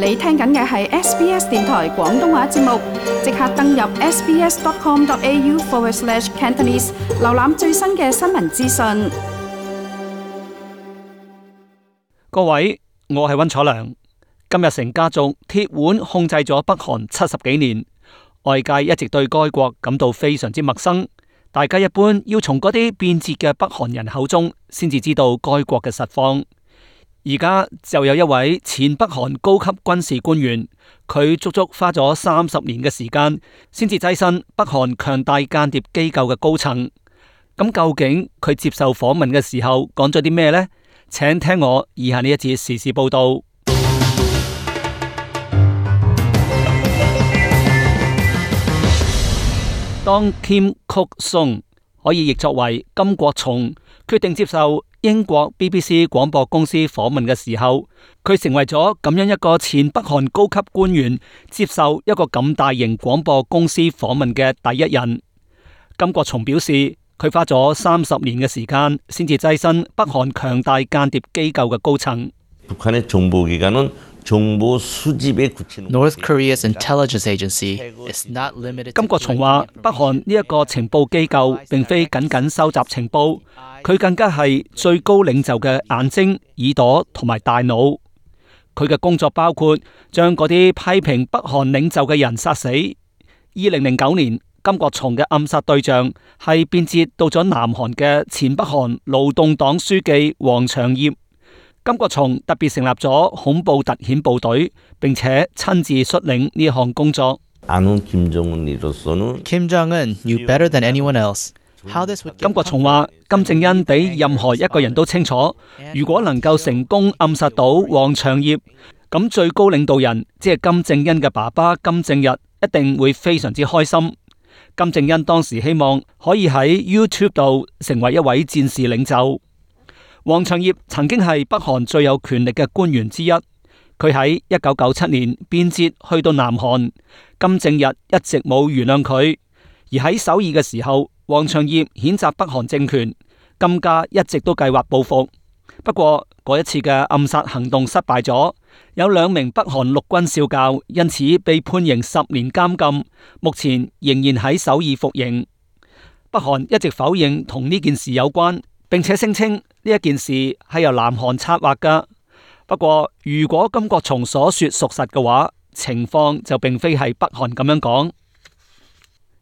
你聽緊嘅係 SBS 電台廣東話節目，即刻登入 sbs.com.au/Cantonese 瀏覽最新嘅新聞資訊。各位，我係溫楚良。金日成家族鐵腕控制咗北韓70幾年，外界一直對該國感到非常之陌生。大家一般要從嗰啲變節嘅北韓人口中，先至知道該國嘅實況。而家就有一位前北韓高級軍事官員，佢足足花咗30年嘅時間，先至躋身北韓強大間諜機構嘅高層。咁究竟佢接受訪問嘅時候講咗啲咩呢？請聽我以下呢一節時事報道。當 Kim Kok-sung 可以譯作為金國松決定接受英國 BBC 廣播公司訪問嘅時候，佢成為咗咁樣一個前北韓高級官員接受一個咁大型廣播公司訪問嘅第一人。金國松表示，佢花咗30年嘅時間先至躋身北韓強大間諜機構嘅高層。 North Korea's intelligence agency is not limited. 金國松話，北韓呢一個情報機構並非僅僅收集情報，佢更加係最高領袖嘅眼睛、耳朵同埋大腦。佢嘅工作包括將嗰啲批評北韓領袖嘅人殺死。2009年，金國松嘅暗殺對象係變節到咗南韓嘅前北韓勞動黨書記黃長業。金國松特別成立咗恐怖特遣部隊，並且親自率領呢項工作。Kim Jong-un knew better than anyone else. 金國松話，金正恩比任何一個人都清楚，如果能夠成功暗殺到黃長業，咁最高領導人即係金正恩嘅爸爸金正日一定會非常之開心。金正恩當時希望可以喺 YouTube 度成為一位戰士領袖。黃長業曾經係北韓最有權力嘅官員之一，佢喺1997年變節去到南韓，金正日一直冇原諒佢。而喺首爾嘅時候，黃長業譴責北韓政權，金家一直都計劃報復。不過嗰一次嘅暗殺行動失敗咗，有2名北韓陸軍少校因此被判刑10年監禁，目前仍然喺首爾服刑。北韓一直否認同呢件事有關，並且聲稱呢一件事係由南韓策劃噶。不過如果金國松所說屬實嘅話，情況就並非係北韓咁樣講。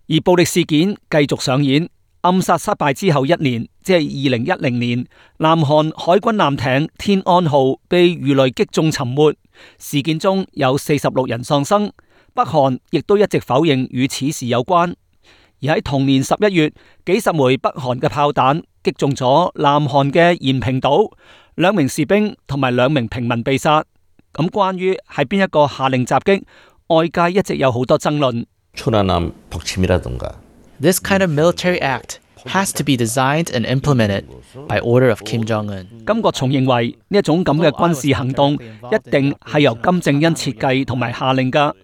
而暴力事件繼續上演，暗殺失敗之後1年，即係2010年，南韓海軍艦艇天安號被魚雷擊中沉沒，事件中有46人喪生，北韓亦都一直否認與此事有關。而喺同年11月，幾十枚北韓嘅炮彈擊中咗南韓嘅延平島，2名士兵同埋2名平民被殺。咁關於係邊一個下令襲擊，外界一直有好多爭論。This kind of military act has to be designed and implemented by order of Kim Jong-un. 金國松認為呢一種咁嘅軍事行動一定係由金正恩設計同埋下令噶。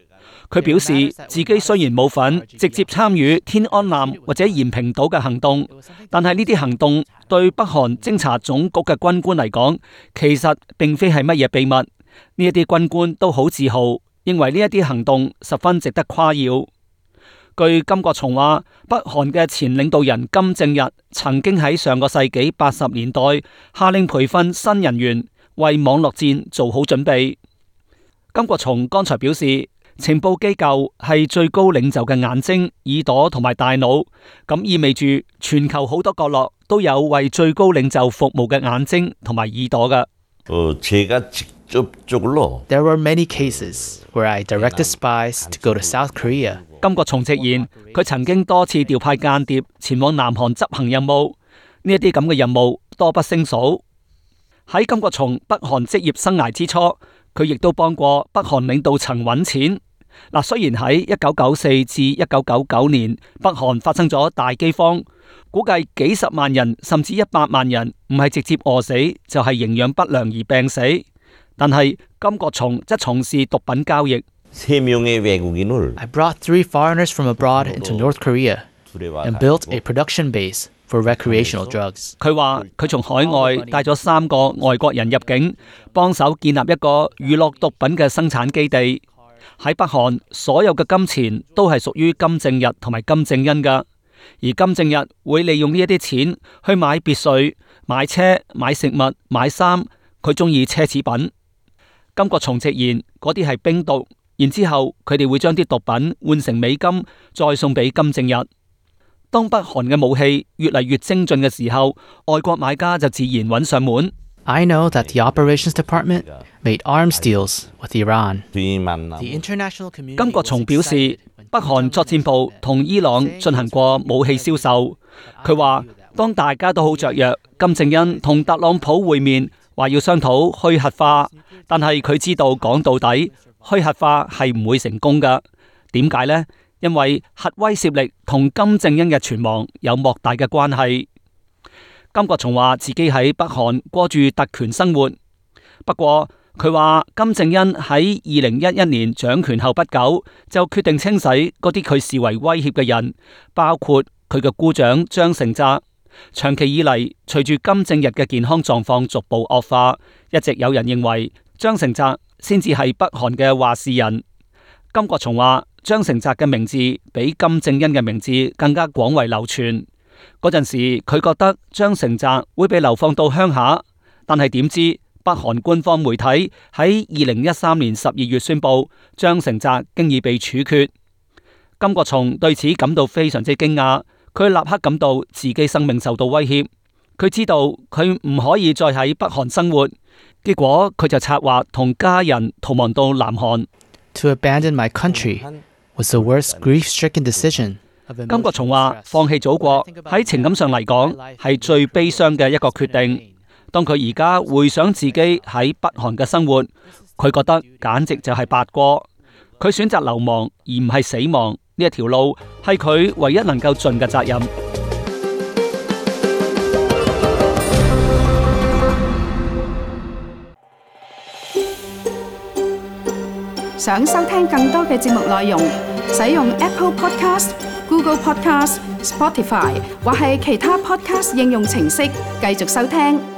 佢表示自己雖然冇份直接參與天安艦或者延平島嘅行動，但係呢啲行動對北韓偵察總局嘅軍官嚟講，其實並非係乜嘢秘密。呢一啲軍官都好自豪，認為呢一啲行動十分值得誇耀。據金國松話，北韓嘅前領導人金正日曾經喺上個世紀80年代下令培訓新人員，為網絡戰做好準備。金國松剛才表示，情報機構係最高領袖嘅眼睛、耳朵同埋大腦，咁意味住全球好多角落都有為最高領袖服務嘅眼睛同埋耳朵㗎。There were many cases where I directed spies to go to South Korea. 金國松直言，佢曾經多次調派間諜前往南韓執行任務，呢一啲咁嘅任務多不勝數。喺金國松北韓職業生涯之初，佢亦都幫過北韓領導層揾錢。雖然喺1994至1999年，北韓發生咗大饑荒，估計幾十萬人甚至100萬人唔係直接餓死，就係營養不良而病死。但係金國松則從事毒品交易。I brought 3 foreigners from abroad into North Korea and built a production base for recreational drugs. 佢話佢從海外帶咗3個外國人入境，幫手建立一個娛樂毒品嘅生產基地。喺北韓，所有嘅金錢都係屬於金正日同埋金正恩㗎，而金正日會利用呢一啲錢去買別墅、買車、買食物、買衫，佢中意奢侈品。金國松直言嗰啲係冰毒，然之後佢哋會將啲毒品換成美金，再送俾金正日。當北韓嘅武器越嚟越精進嘅時候，外國買家就自然揾上門。I know that the operations department made arms deals with Iran. The international community 金國松表示，北韓作戰部同伊朗進行過武器銷售。佢話，當大家都好雀躍，金正恩同特朗普會面，話要商討去核化，但係佢知道講到底，去核化係唔會成功㗎。點解呢？因為核威懾力同金正恩嘅存亡有莫大嘅關係。金國松話自己喺北韓過住特權生活，不過佢話金正恩喺2011年掌權後不久就決定清洗嗰啲佢視為威脅嘅人，包括佢嘅姑丈張成澤。長期以嚟，隨住金正日嘅健康狀況逐步惡化，一直有人認為張成澤先至係北韓嘅話事人。金國松話張成澤嘅名字比金正恩嘅名字更加廣為流傳。嗰陣時，佢覺得張成澤會被流放到鄉下，但係點知北韓官方媒體喺2013年12月宣布張成澤經已被處決。金國松對此感到非常之驚訝，佢立刻感到自己生命受到威脅，佢知道佢唔可以再喺北韓生活，結果佢就策劃同家人逃亡到南韓。To abandon my country was the worst grief-stricken decision. 金國松話放棄祖國喺情感上嚟講係最悲傷嘅一個決定。當佢而家回想自己喺北韓嘅生活，佢覺得簡直就係白過。佢選擇流亡而唔係死亡，呢一條路係佢唯一能夠盡嘅責任。想收聽更多嘅節目內容，使用 Apple Podcast、Google Podcast、Spotify 或係其他 Podcast 應用程式繼續收聽。